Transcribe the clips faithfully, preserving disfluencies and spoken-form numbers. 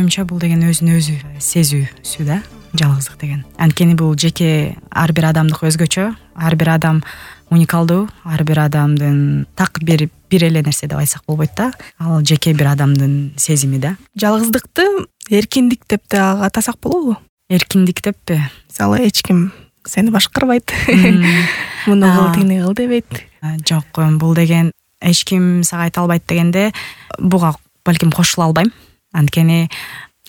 оюмча бул деген өзүн өзү сезүүсү да, жалгыздык деген. Анткени бул жеке ар бир адамдык өзгөчө, ар бир адам уникалдуу, ар бир адамдын так бир бир эле нерсе деп айтсак болбойт да. Ал жеке бир адамдын сезими да. Жалгыздыкты эркиндик деп да атасак болобу? Эркиндик деппи? Мисалы, эч ким сени башкарбайт, муну кыл, тигини кыл дебейт. Жок, бул деген эч ким сага айта албайт дегенде буга балким кошула албайм. Анткени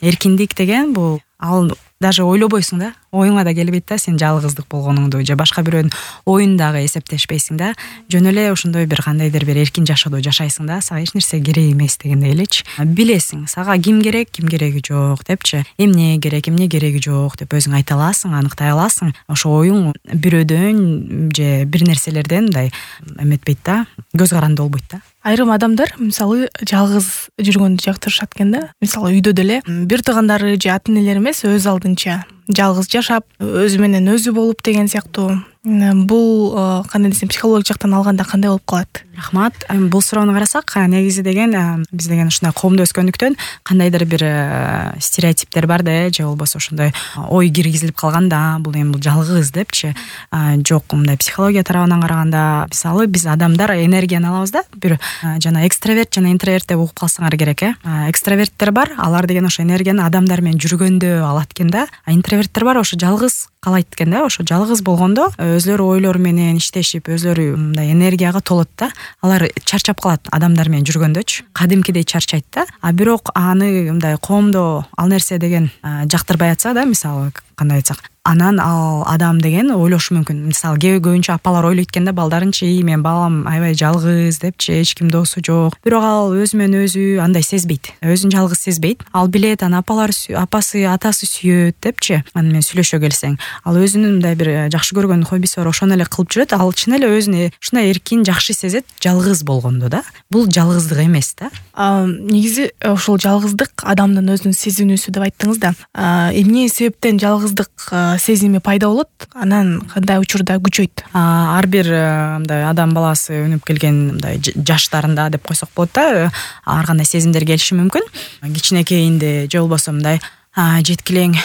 эркиндик деген бул ал даже ойлобойсуң да, оюңа да келбейт да сен жалгыздык болгонуңду же башка бирөөнүн оюн дагы эсептешпейсиң да. Жөн эле ошондой бир кандайдыр бир эркин жашоодо жашайсың да, сага эч нерсе керек эмес дегендей элечи. Билесиң, сага ким керек, ким кереги жок депчи, эмне керек, эмне кереги жок деп өзүң айта аласың, аныктай аласың. Ошо оюң бирөөдөн же бир нерселерден мындай эметпейт да, көз каранды болбойт да. Айрым адамдар мисалы жалгыз жүргөндү жактырышат экен да. Мисалы үйдө деле бир туугандары же ата энелери эмес, өз алдынча жалгыз жашап, өзү менен өзү болуп деген сыяктуу. Бул кандай десем, психологик жактан алганда кандай болуп калат? Рахмат. Бул суроону карасак, негизи деген биз деген ушундай коомдо өскөндүктөн кандайдыр бир стереотиптер бар да, же болбосо ошондой ой киргизилип калган да, бул эми бул жалгыз депчи. Жок, мындай психология тарабынан караганда, мисалы биз адамдар энергияны алабыз да, бир жана экстраверт жана интроверт деп угуп калсаңар керек э. Экстраверттер бар, алар деген ошо энергияны адамдар менен жүргөндө алат экен да. Интроверттер бар, ошо жалгыз калайт экен да. Ошо жалгыз болгондо өзлөрү ойлору менен иштешип, өзлөрү мындай энергияга толот да. Алар чарчап калат адамдар менен жүргөндөчү. Кадимкидей чарчайт да. А бирок аны мындай коомдо ал нерсе деген жактырбай атса да, мисалы кандай айтсак, анан ал адам деген ойлошу мүмкүн. Мисалы көбүнчө апалар ойлойт экен да, балдарынчы, мен балам аябай жалгыз депчи, эч ким досу жок. Бирок ал өзү менен өзү андай сезбейт. Өзүн жалгыз сезбейт. Ал билет, анан апалар, апасы, атасы сүйөт депчи. Аны менен сүйлөшө келсең, ал өзүнүн мындай бир жакшы көргөн хоббиси бар, ошону эле кылып жүрөт. Ал чын эле өзүн ушундай эркин, жакшы сезет жалгыз болгондо да. Бул жалгыздык эмес да. Негизи ошол жалгыздык адамдын өзүнүн сезинүүсү деп айттыңыз да. Эмне себептен жалгыздык сезими пайда болот, анан кандай учурда күчөйт? Ар бир мындай адам баласы өнүп келген мындай жаштарында деп койсок болот да, ар кандай сезимдер келиши мүмкүн. Кичинекейинде же болбосо мындай жеткилең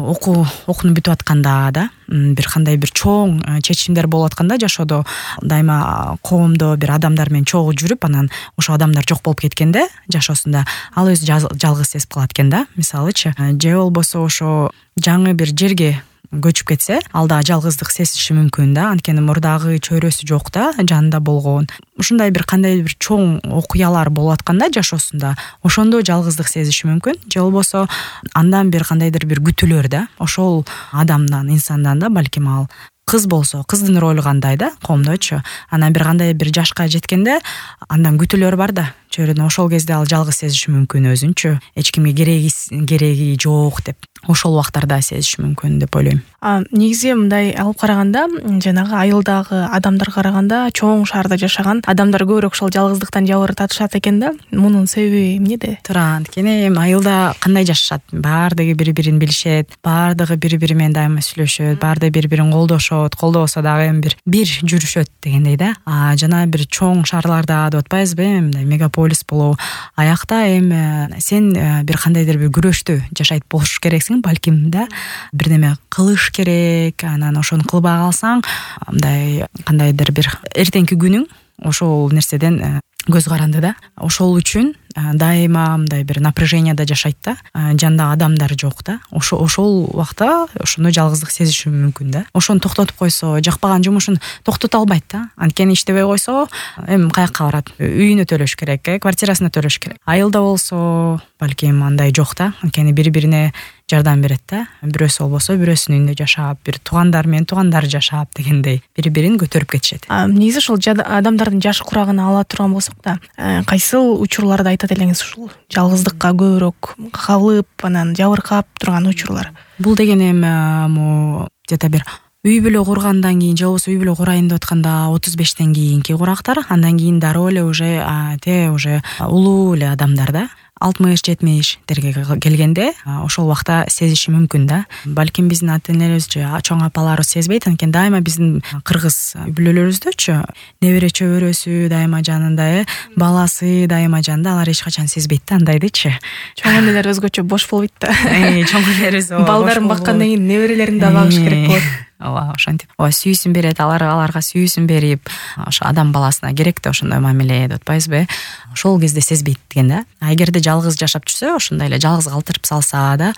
окуу окууну бүтүп атканда да, бир кандай бир чоң чечимдер болуп атканда жашоодо, дайыма коомдо бир адамдар менен чогуу жүрүп, анан ошо адамдар жок болуп кеткенде жашоосунда ал өзү жалгыз сезип калат экен да, мисалычы. Же болбосо ошо жаңы бир жерге көчүп кетсе, ал да жалгыздык сезиши мүмкүн да, анткени мурдагы чөйрөсү жок да, жанында болгон. Ушундай бир кандай бир чоң окуялар болуп атканда жашоосунда, ошондо жалгыздык сезиши мүмкүн. Же болбосо андан бир кандайдыр бир күтүүлөр да, ошол адамдан, инсандан да, балким ал кыз болсо, кыздын ролу кандай да, коомдочу. Анан бир кандай бир жашка жеткенде андан күтүүлөр бар да, чөйрөдөн, ошол кезде ал жалгыз сезиши мүмкүн өзүнчү. Эч кимге кереги кереги жок деп ошол убактарда сезиши мүмкүн деп ойлойм. Негизи мындай алып караганда, жанагы айылдагы адамдарга караганда чоң шаарда жашаган адамдар көбүрөөк ошол жалгыздыктан жабыр тартышат экен да. Мунун себеби эмнеде? Туура, анткени эми айылда кандай жашашат? Баардыгы бири-бирин билишет, баардыгы бири-бири менен дайыма сүйлөшөт, баардыгы бири-бирин колдошот, колдобосо дагы эми бир бир жүрүшөт дегендей да. А жана бир чоң шаарларда деп атпайбызбы, мындай мегаполис болобу, аякта эми сен бир кандайдыр бир күрөштү жашайт болуш керексиң, балким да, бир неме кылыш керек, анан ошону кылбай калсаң, мындай кандайдыр бир эртеңки күнүң ошол нерседен көз каранды да. Ошол үчүн дайыма мындай бир напряженияда жашайт да, жанында адамдар жок да. Ошо ошол убакта ошондой жалгыздык сезиши мүмкүн да. Ошону токтотуп койсо, жакпаган жумушун токтото албайт да. Анткени иштебей койсо, эми каякка барат? Үйүнө төлөш керек, э, квартирасына төлөш керек. Айылда болсо, балким андай жок да. Анткени бири-бирине жардам берет да. Бирөөсү болбосо бирөөсүнүн үйүндө жашап, бир туугандар менен туугандар жашап дегендей бири-бирин көтөрүп кетишет. Негизи ошол адамдардын жаш курагына ала турган болсок да, кайсыл учурларда айтат элеңиз ушул жалгыздыкка көбүрөөк кабылып, анан жабыркап турган учурлар? Бул деген эми где-то бир үй бүлө кургандан кийин, же болбосо үй бүлө курайын деп атканда отуз бештен кийинки курактар, андан кийин дароо эле уже те уже улуу эле адамдар да. алтымыш жетимиштерге келгенде ошол убакта сезиши мүмкүн да. Балким биздин ата энелерибиз же чоң апаларыбыз сезбейт, анткени дайыма биздин кыргыз үй бүлөлөрүбүздөчү небере чөбөрөсү дайыма жанында, э баласы дайыма жанында, алар эч качан сезбейт да андайдычы. Чоң энелер өзгөчө бош болбойт да. Чоң энелерибиз балдарын баккандан кийин неберелерин да багыш керек болот. Ооба, ошентип ооба сүйүүсүн берет, алар аларга сүйүүсүн берип, ошо адам баласына керек да ошондой мамиле деп атпайбызбы? Ошол кезде сезбейт экен да. А эгерде жалгыз жашап жүрсө, ошондой эле жалгыз калтырып салса да,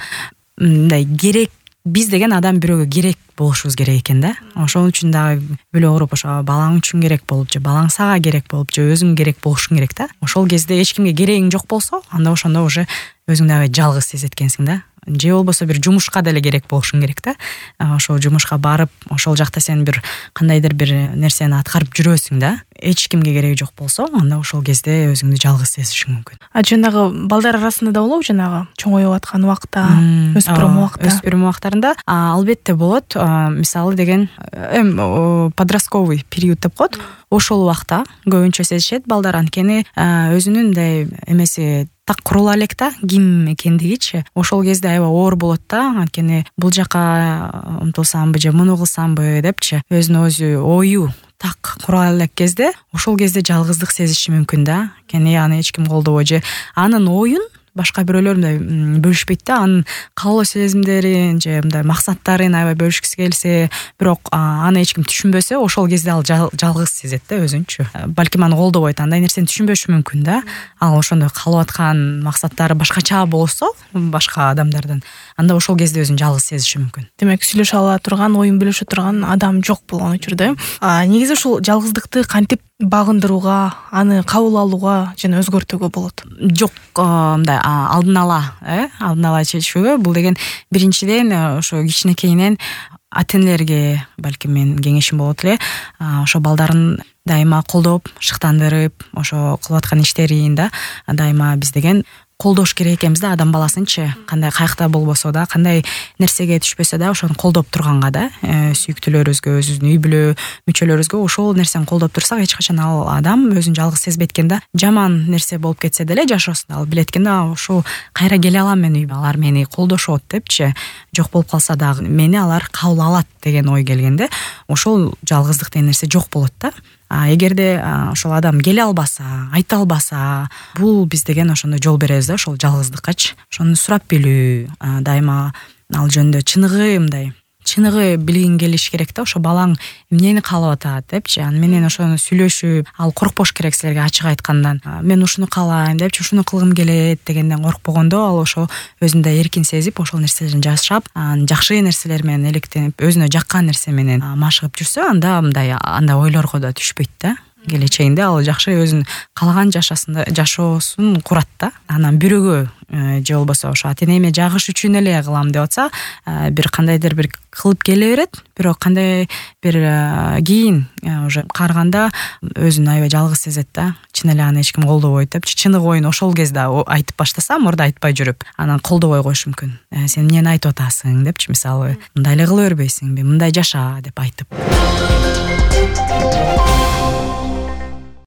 мындай керек, биз деген адам бирөөгө керек болушубуз керек экен да. Ошол үчүн дагы бөлө уруп ошо балаң үчүн керек болуп же балаң сага керек болуп же өзүң керек болушуң керек да. Ошол кезде эч кимге керегиң жок болсо, анда ошондо уже өзүң дагы жалгыз сезет экенсиң да. Же болбосо бир жумушка деле керек болушуң керек да. Ошол жумушка барып, ошол жакта сен бир кандайдыр бир нерсени аткарып жүрөсүң да. Эч кимге кереги жок болсо, анда ошол кезде өзүңдү жалгыз сезишиң мүмкүн. А жанагы балдар арасында да болобу, жанагы чоңоюп аткан убакта, өспүрүм убакта? Өспүрүм убактарында албетте болот. Мисалы деген эм подростковый период деп коет. Ошол убакта көбүнчө сезишет балдар, анткени өзүнүн мындай эмеси так курула элек да, ким экендигичи. Ошол кезде аябай оор болот да, анткени бул жака умтулсамбы же муну кылсамбы депчи, өзүнө өзү ою так кура элек кезде, ошол кезде жалгыздык сезиши мүмкүн да. Анткени аны эч ким колдобой же анын оюн башка бирөөлөр мындай бөлүшпөйт да, анын каалоо сезимдерин же мындай максаттарын аябай бөлүшкүсү келсе, бирок аны эч ким түшүнбөсө, ошол кезде ал жалгыз сезет да өзүнчү. Балким аны колдобойт, андай нерсени түшүнбөшү мүмкүн да. Ал ошондой каалап аткан максаттары башкача болсо, башка адамдардан, анда ошол кезде өзүн жалгыз сезиши мүмкүн. Демек, сүйлөшө ала турган, оюн бөлүшө турган адам жок болгон учурда. А негизи ушул жалгыздыкты кантип багындырууга, аны кабыл алууга жана өзгөртүүгө болот? Жок, мындай алдын ала, э, алдын ала чечүүгө, бул деген биринчиден ошо кичинекейинен ата энелерге балким менин кеңешим болот эле, ошо балдарын дайыма колдоп, шыктандырып, ошо кылып аткан иштерин да дайыма биз деген колдош керек экенбиз да, адам баласынчы. Кандай кайыкта болбосо да, кандай нерсеге түшпөсө да, ошону колдоп турганга да, сүйүктүүлөрүбүзгө, өзүбүздүн үй бүлө мүчөлөрүбүзгө ошол нерсени колдоп турсак, эч качан ал адам өзүн жалгыз сезбейт экен да. Жаман нерсе болуп кетсе деле жашоосунда ал билет экен да, ошол кайра келе алам мен үйгө, алар мени колдошот депчи. Жок болуп калса дагы мени алар кабыл алат деген ой келгенде, ошол жалгыздык деген нерсе жок болот да. А эгерде ошол адам келе албаса, айта албаса, бул биз деген ошондо жол беребиз да ошол жалгыздыккачы. Ошону сурап билүү, дайыма ал жөнүндө чыныгы мындай чыныгы билгиң келиш керек да, ошо балаң эмнени каалап атат депчи. Аны менен ошону сүйлөшүп, ал коркпош керек силерге ачык айткандан. Мен ушуну каалайм депчи, ушуну кылгым келет дегенден коркпогондо, ал ошо өзүндө эркин сезип, ошол нерселерин жашап, жакшы нерселер менен электенип, өзүнө жаккан нерсе менен машыгып жүрсө, анда мындай андай ойлорго да түшпөйт да. Келечегинде ал жакшы өзүн каалаган жашасында жашоосун курат да. Анан бирөөгө же болбосо ошо ата энеме жагыш үчүн эле кылам деп атса, бир кандайдыр бир кылып келе берет, бирок кандай бир кийин уже карганда өзүн аябай жалгыз сезет да. Чын эле аны эч ким колдобойт деп, чыныгы оюн ошол кезде айтып баштаса, мурда айтпай жүрүп, анан колдобой коюшу мүмкүн. Сен эмнени айтып атасың депчи, мисалы, мындай эле кыла бербейсиңби, мындай жаша деп айтып.